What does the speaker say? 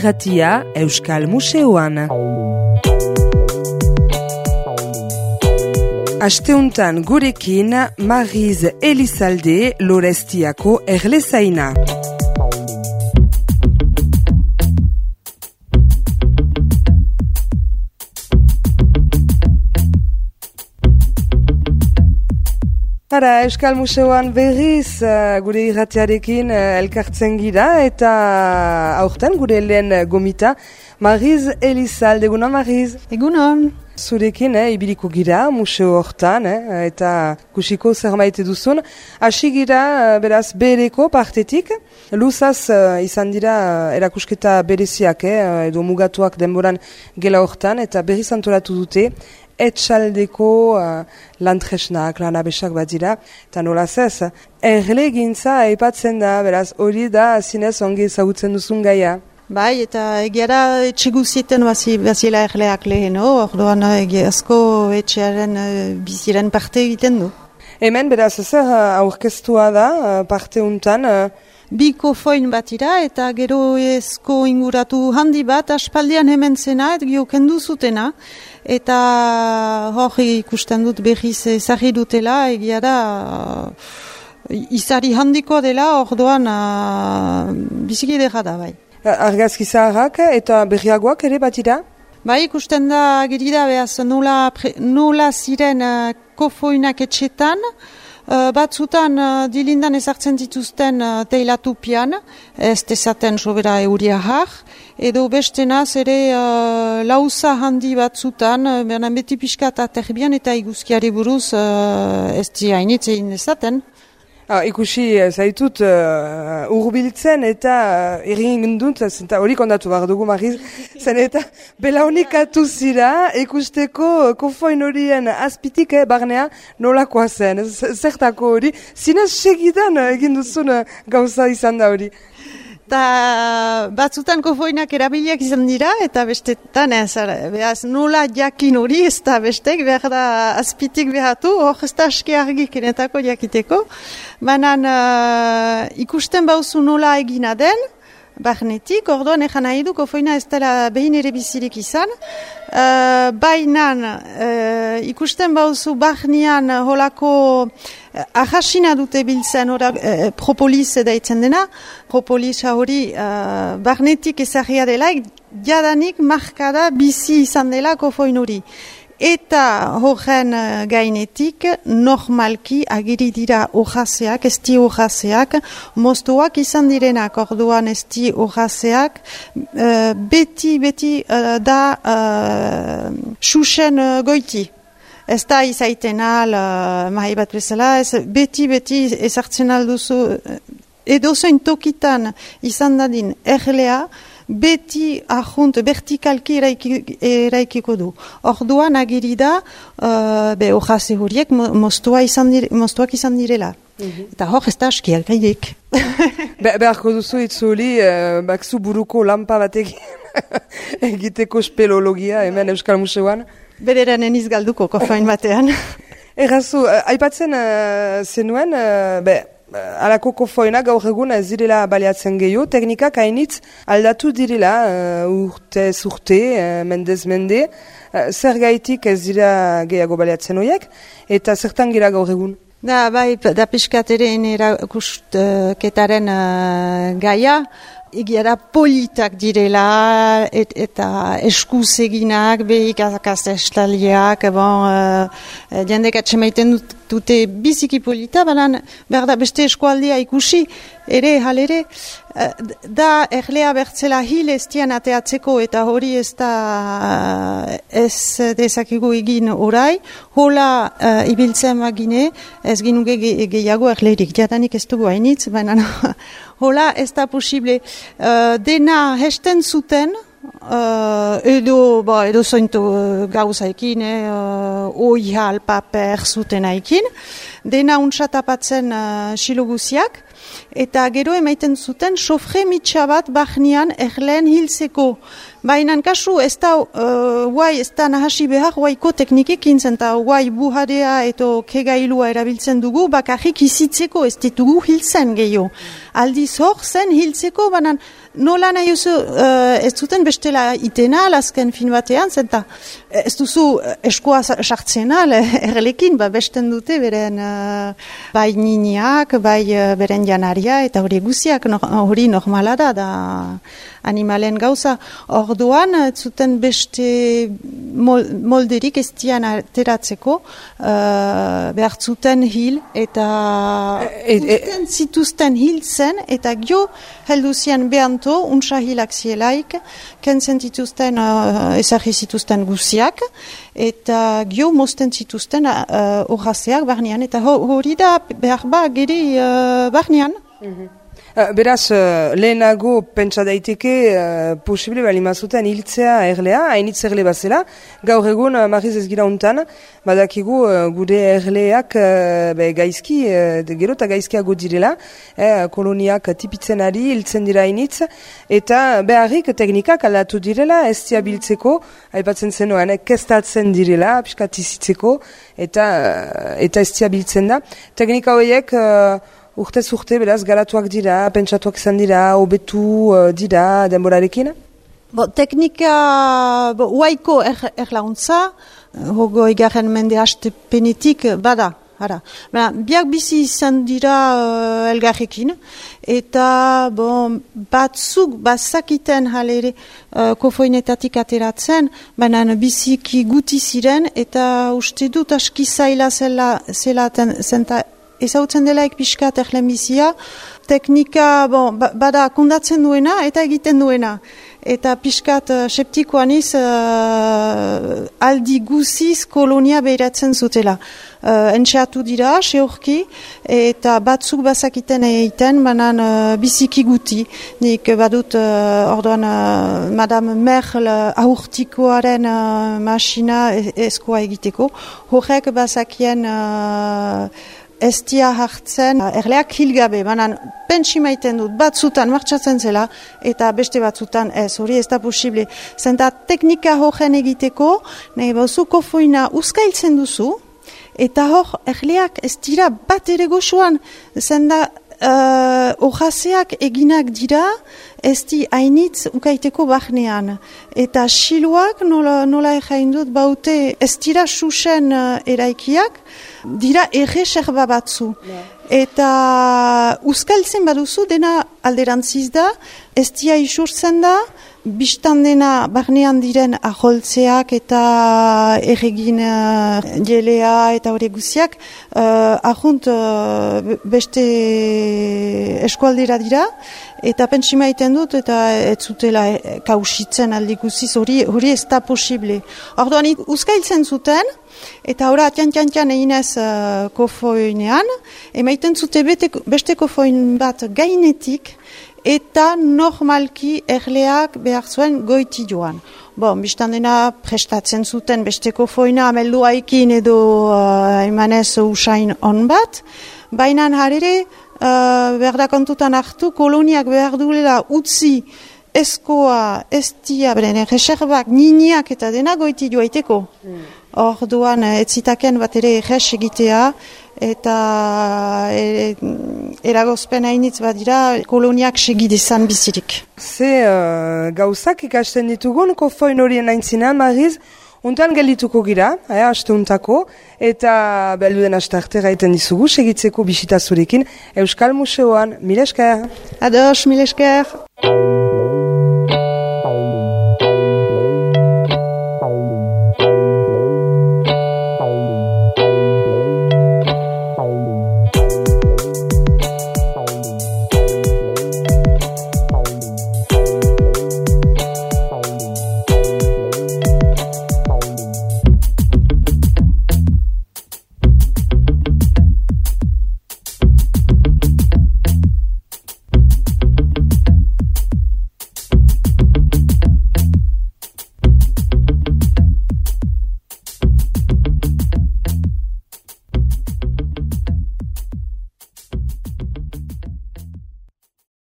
irratia Euskal Museoan. Asteuntan gurekin Mariz Elizalde Lorestiako erlezaina. Hara, Euskal Museoan berriz gure irratiarekin elkartzen gira eta aurten gure lehen gomita Mariz Elizalde. Egunon, Mariz? Egunon. Zurekin ibiliko gira museo hortan eta kusiko zer maite duzun. Hasi gira beraz bereko partetik. Luzaz izan dira erakusketa bereziak edo mugatuak denboran gela hortan eta berriz antolatu dute. Etxaldeko lantresnak, lanabesak bat dira, eta nolaz ez, erlegintza aipatzen da, beraz, hori da zinez ongi ezagutzen duzun gaia. Bai, eta egiara etxe guzietan baziela erleak lehen, orduan egiazko etxearen biziren parte egiten du. Hemen, beraz, zer aurkeztua da parte untan? Biko foin bat ira eta gero ezko inguratu handi bat aspaldian hemen zena, eta kendu zutena. Eta hor ikusten dut berriz ezagri dutela, egia da izari handiko dela, orduan biziki edera da, bai. Argazki zaharrak eta berriagoak ere bat dira? Bai, ikusten da gerida behaz nola ziren kofoinak etxetan, batzutan dilindan ezartzen dituzten teilatupian, ez dezaten sobera euria har, edo bestenaz ere lauza handi batzutan, bernan beti pixka eta terbian eta iguzkiari buruz ez diainitz egin dezaten. Ikusi zaitut urbiltzen eta egin dut, eta hori kondatu behar dugu Mariz, zen eta belaunikatu zira ikusteko kofoin horien azpitik barnea nolakoa zen, zertako hori, zinez segidan egin duzun gauza izan da hori. Eta batzutan kofoinak erabiliak izan dira, eta bestetan behaz nola jakin hori, ez da bestek, behar da azpitik behatu, hor ez da aski argik enetako jakiteko. Banan ikusten bauzu nola egina den, barnetik, orduan ejan nahi du, kofoina ez dela behin ere bizirik izan. Bainan ikusten bauzu barnean holako ahasina dute biltzen propolis daitzen dena. Propolisa hori barnetik ezagria dela, jadanik markada bizi izan dela kofoin hori. Eta horren gainetik normalki agiri dira hojazeak, esti hojazeak, moztuak izan direnak orduan esti hojazeak, beti da xuxen goiti. Ez da izaiten mahi bat bezala, beti ezartzen alduzu, edozein tokitan izan dadin erlea, beti ahunt, vertikalki eraikiko du. Orduan agiri da, hojaze horiek moztuak izan direla. Eta hor ez da askiak gaidik. Beharko duzu itzuli, bakzu buruko lampa batek egiteko speleologia hemen Euskal Museoan. Bereren eniz galduko kofain batean. Errazu, aipatzen zenuen, alako kofoinak gaur egun ez direla baliatzen gehiago, teknikak hainitz aldatu direla urtez urte, mendez mende, zer gaitik ez dira gehiago baliatzen horiek, eta zertan gira gaur egun? Da piskateren erakusketaren gaia, egiara politak direla eta eskuz eginak, behikazakaz estaliak, jendek atxemaiten dute biziki polita, baina behar da beste eskualdea ikusi, ere halere, da erlea bertzela hil ez dian ateatzeko eta hori ez da ez dezakigu egin orai, hola ibiltzen bagine, ez ginuge gehiago erlerik, jadanik ez dugu hainitz, baina hola ez da posible, dena hesten zuten, edo zointu gauzaikin, oihal, paper zuten haikin, dena untsatapatzen siloguziak, eta gero emaiten zuten sofre mitxa bat bahnian erleen hiltzeko. Baina kasu ez da, guai ez da nahasi behar guaiko teknikekin zen, eta guai buharea eto kegailua erabiltzen dugu, bakarrik izitzeko ez ditugu hiltzen gehiago. Aldiz hor zen hiltzeko, banan nola nahi ez zuten bestela itena, azken fin batean, zenta ez duzu eskoa sartzena, erlekin, besten dute beren bai niniak, bai beren janaria, eta hori guziak hori normala da animalen gauza. Orduan, ez zuten beste molderik ez dian ateratzeko, behar zuten hil, eta zituzten hil zen, eta gio helduzian behanto, untsa hilak zielaik, kentzen zituzten, ezagri zituzten guziak, eta gio mosten zituzten horazeak barnean, eta hori da behar geri barnean. Beraz, lehenago pentsa daiteke posible balimazuten hiltzea erlea, hainitz erle bazela. Gaur egun, Mariz ez gira untan, badakigu gure erleak gaizki, gero eta gaizkiago direla, koloniak tipitzen ari, hiltzen dira hainitz, eta beharrik teknikak aldatu direla, ez diabiltzeko, aipatzen zenoan, kestatzen direla, piskatizitzeko, eta ez diabiltzen da. Teknika horiek urtez urte, beraz, garatuak dira, pentsatuak izan dira, hobetu dira denborarekin? Teknika, huaiko erlauntza, hogo egarren mende hastepenetik bada. Biak bizi izan dira elgarrekin, eta batzuk bazakiten halere kofoinetatik ateratzen, baina biziki guti ziren, eta uste dut aski zaila zenta ezautzen delaik pixkat erlenbizia, teknika bada kondatzen duena eta egiten duena. Eta pixkat septikoaniz aldi guziz kolonia behiratzen zutela. Entxeatu dira, seurki, eta batzuk bazakiten egiten, banan biziki guti. Nik badut orduan Madame Merle aurtikoaren masina eskoa egiteko. Horrek bazakien ez dia hartzen erleak hilgabe, banan pentsi maiten dut, batzutan martxatzen zela, eta beste batzutan ez, hori ez da posible. Zenta teknika horren egiteko, nahi bauzu kofoina uzkailtzen duzu, eta hor erleak ez dira bat ere goxoan, zenda hojazeak eginak dira, ez di hainitz ukaiteko barnean. Eta siluak, nola egain dut, baute ez dira susen eraikiak, dira erreserba batzu. Eta uzkaltzen baduzu, dena alderantziz da, ez dia isurtzen da, bistan dena barnean diren aholtzeak eta erregin jelea eta hori guziak, ahunt beste eskualdera dira, eta pentsima egiten dut, eta ez zutela kausitzen aldi guziz, hori ez da posible. Orduan uzkailtzen zuten, eta ora tian eginez kofoinean, emaiten zute beste kofoin bat gainetik, eta normalki erleak behar zuen goiti joan. Bistan dena prestatzen zuten beste kofoina amelduaikin edo emanez usain on bat, baina harere behar da kontutan hartu koloniak behar duela utzi eskoa, estia, beren reserbak, niniak eta dena goiti joaiteko. Orduan ez zitaken bat ere erres egitea, eta eragozpen hainitz badira koloniak segidezan bizirik. Ze gauzak ikasten ditugun kofoin horien aintzinean, Mariz, untan geldituko gira, haste untako, eta belduden haste arte gaiten dizugu, segitzeko bisita zurekin Euskal Museoan. Mil esker! Ados, mil esker!